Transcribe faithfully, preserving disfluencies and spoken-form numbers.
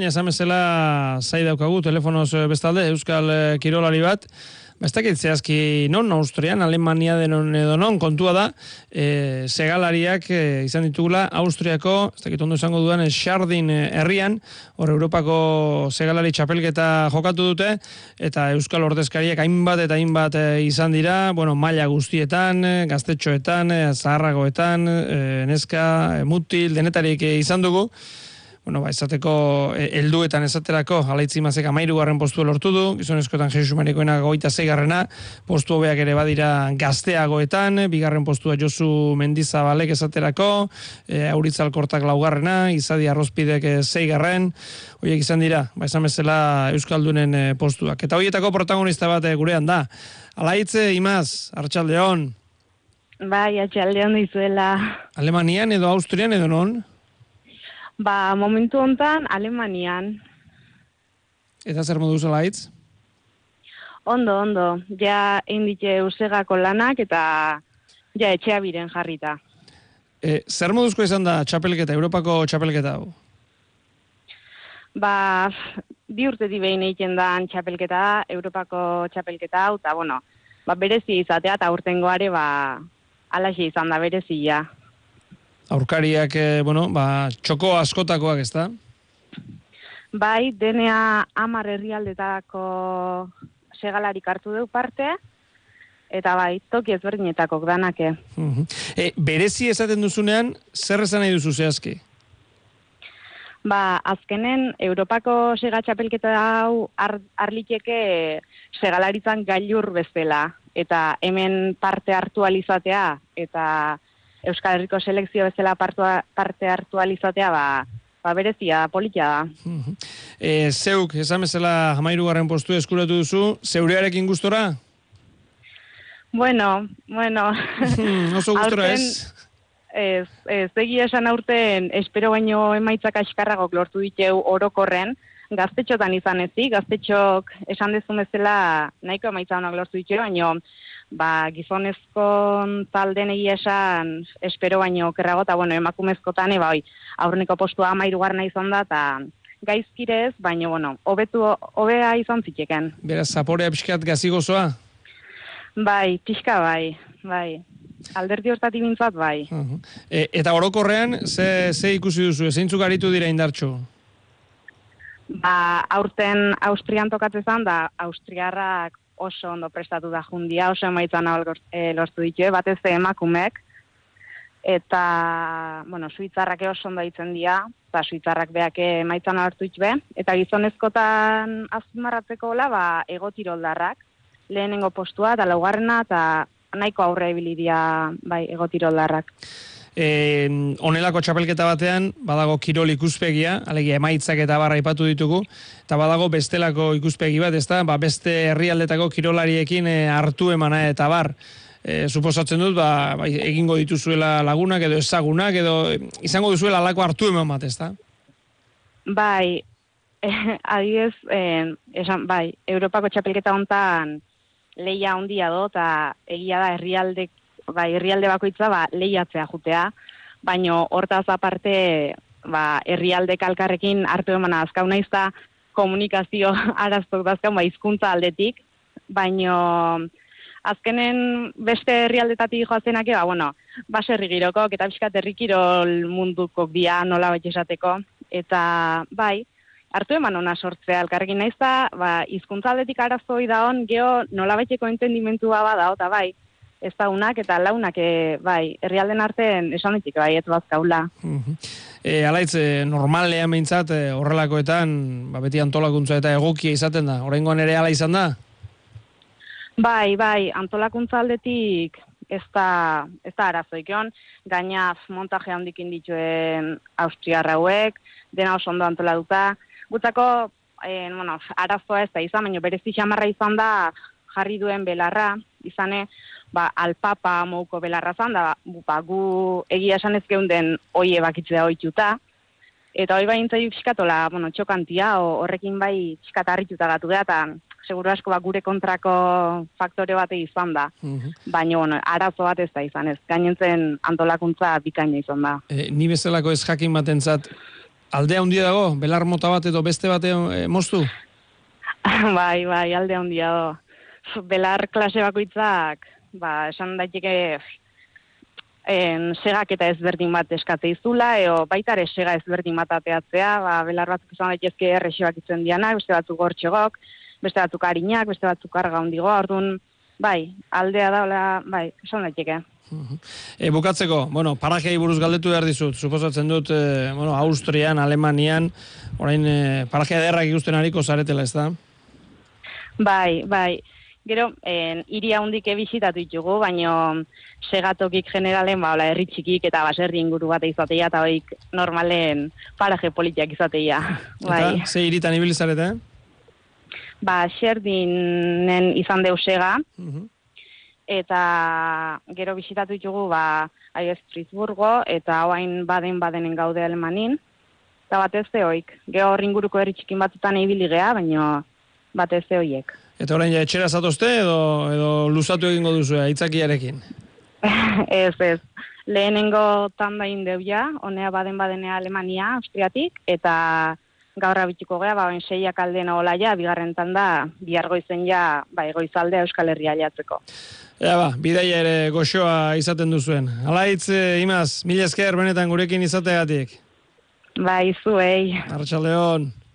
Esan bezala zai daukagu, telefonoz bestalde, Euskal Kirolari bat. Ba, ez dakit zehazki non, Austrian, Alemania denon edo non, kontua da, e, segalariak e, izan ditugula Austriako, ez dakit ondo izango dudan, Schardin herrian, hor Europako segalari txapelketa jokatu dute, eta Euskal ordezkariak hainbat eta hainbat e, izan dira, bueno, maila guztietan, gaztetxoetan, e, zaharragoetan, e, neska, e, mutil, denetarik e, izan dugu. Bueno, ba, esateko helduetan esaterako Alaitzi Mazek hamahirugarren postua lortu du, gizonezkoetan Jesus Marikoena hogeita seigarrena, postu hobeak ere badira gazteagoetan, bigarren postua Josu Mendizabalek esaterako, e, Auritz Alkortak laugarrena, Izadi Arrozpidek seigarren, horiek izan dira, ba, esan bezala Euskaldunen postuak. Eta horietako protagonista bat gurean da. Alaitze, Imaz, Arratsaldeon. Bai, Arratsaldeon dizuela. Alemanian edo Austrian edo non? Ba, momentu hontan Alemanian. Eta zer moduz Alaitz? Ondo, ondo. Ja indike usegako lanak eta ja etxea biren jarrita. E, zer moduzko izan da txapelketa, Europako txapelketa hau? Ba, bi urtetik behin egiten da txapelketa, Europako txapelketa hau, eta bueno, ba, berezi izatea, eta urtengoare, ba, alaxe izan da berezia. Aurkariak, eh, bueno, ba, txoko askotakoak, ez da? Bai, denea hamar herrialdetako segalarik hartu deu parte, eta bai, toki ezberdinetakok danake. Uh-huh. E, berezi esaten duzunean, zer esan nahi duzu zehazki? Ba, azkenen, Europako sega txapelketa hau ar, arliteke segalaritzan gailur bezala, eta hemen parte hartu alizatea, eta Euskal Herriko selekzio bezala partua, parte hartu alizatea, ba, ba berezia, politia da. Uh-huh. E, zeuk, esan bezala hamahirugarren postu eskuratu duzu, zeurearekin gustora? Bueno, bueno. Oso gustora ez? Ez, ez, egia esan aurten, espero baino emaitzak askarragok lortu diteu orokorren, gaztetxotan izan ezik, gaztetxok esan dezun bezala nahiko emaitza honak lortu diteu, baino ba, gizonezko talden egia esan espero baino kerrago, eta bueno, emakumezkotan, eba, oi, aurreneko postua hamahirugarrena izan da, eta gaizkirez, baino, bueno, hobetu, hobea izan ziteken. Beraz, zaporea pixkat gazigozoa? Bai, pixka bai, bai. Alderdi hortatik bintzat, bai. Uh-huh. E, eta orokorrean, ze, ze ikusi duzu, zeintzuk aritu dira indartxo? Ba, aurten Austrian tokatzezan, da Austriarrak oso ondo prestatu da jundia, oso emaitzan e, lortu ditu, batez emakumek, eta, bueno, suitzarrak oso ondo ditzen dira, eta suitzarrak beak emaitzan lortu ditu, eta gizonezkotan azpimarratzeko hola, ba, egotiroldarrak, lehenengo postua, eta laugarrena, eta nahiko aurre ibilidia, bai, egotiroldarrak. E, onelako txapelketa batean, badago kirol ikuspegia, alegia emaitzak eta barra aipatu ditugu, eta badago bestelako ikuspegi bat, ezta? Ba, beste herrialdetako kirolariekin e, hartu emana eta bar. E, suposatzen dut, ba, ba, egingo dituzuela lagunak edo ezagunak, edo izango duzuela alako hartu eman bat, ezta? Bai, eh, adibidez, eh, esan, bai, Europako txapelketa hontan lehia handia do, eta egia da herrialde, bai, herrialde bakoitza ba, lehiatzea jutea, baino hortaz aparte ba, herrialde kalkarrekin hartu emana azkau naiz da komunikazio araztok dazkau ba, hizkuntza aldetik, baino azkenen beste herrialdetatik joazenak, ba, bueno, baserri girokok eta pixkat herrikirol mundukok dia nola bat esateko, eta bai, hartu eman ona sortzea, elkarrekin naiz da, ba, hizkuntza aldetik arazoi da on, geho nola baiteko entendimentua bada, eta bai, ez da unak eta launak, e, bai, herrialden artean esan ditik, bai, ez bazkaula. Uh-huh. E, Alaitz, e, normalean behintzat, e, horrelakoetan, ba, beti antolakuntza eta egokia izaten da, oraingoan ere hala izan da? Bai, bai, antolakuntza aldetik ez da, ez da arazoikion, gainaz montaje handikin dituen austriarra hauek, dena oso ondo antolatuta, gutzako, e, bueno, arazoa ez da izan, baina berezi xamarra izan da jarri duen belarra, izane, ba, alpapa mouko belarra zan, da, ba, gu egia esan ez geunden oie bakitzea oituta, eta hoi bain zaiu pixkatola, bueno, txokantia, horrekin bai pixkat harrituta gatu da, eta seguru asko ba, gure kontrako faktore bate izan da. Uh-huh. Baina, bueno, arazo bat ez da izan, ez gainentzen antolakuntza bikaina izan da. E, ni bezalako ez jakin batentzat, Aldea handia dago, belar mota bat edo beste bate e, moztu? Bai, bai, alde handia do. Belar klase bakoitzak, ba, esan daiteke en, segak eta ezberdin bat eskatze izula, eo baita ere sega ezberdin bat ateatzea, ba, belar batzuk izan daitezke errexoak itzen dianak, beste batzuk gortxegok, beste batzuk harinak, beste batzuk karga handigo, orduan, bai, aldea daula, bai, esan daiteke. E, bukatzeko, bueno, parajei buruz galdetu behar dizut, suposatzen dut, e, bueno, Austrian, Alemanian, orain e, parajea derrak ikusten hariko zaretela, ez da? Bai, bai. Gero, en, iria hundike bizitatu ditugu, baino segatokik generalen, ba, herri txikik eta baserri inguru bat izateia, eta hoik normalen paraje politiak izateia. Bai. Eta, ze hiritan ibili zarete? Ba, Xerdinen izan deu sega, Uh-huh. eta gero bisitatu ditugu, ba, aiez Frisburgo, eta oain baden-badenen gaude Alemanin, eta batez ze hoik. Gero hor inguruko herri txikin batzutan ibili gea, baino batez ze hoiek. Eta orain ja etxera zatozte edo, edo luzatu egingo duzu aitzakiarekin? Ez, ez. Lehenengo tanda indeu ja, honea baden-badenea Alemania, Austriatik, eta gaur abitiko gea, ba, oin seiak aldena hola ja, bigarren tanda, bihar goizen ja, ba, goizaldea Euskal Herria jatzeko. Ja ba, bidaia ere goxoa izaten duzuen. Alaitz, Imaz, mila esker benetan gurekin izateagatik. Bai, zuei. Arratsaldeon.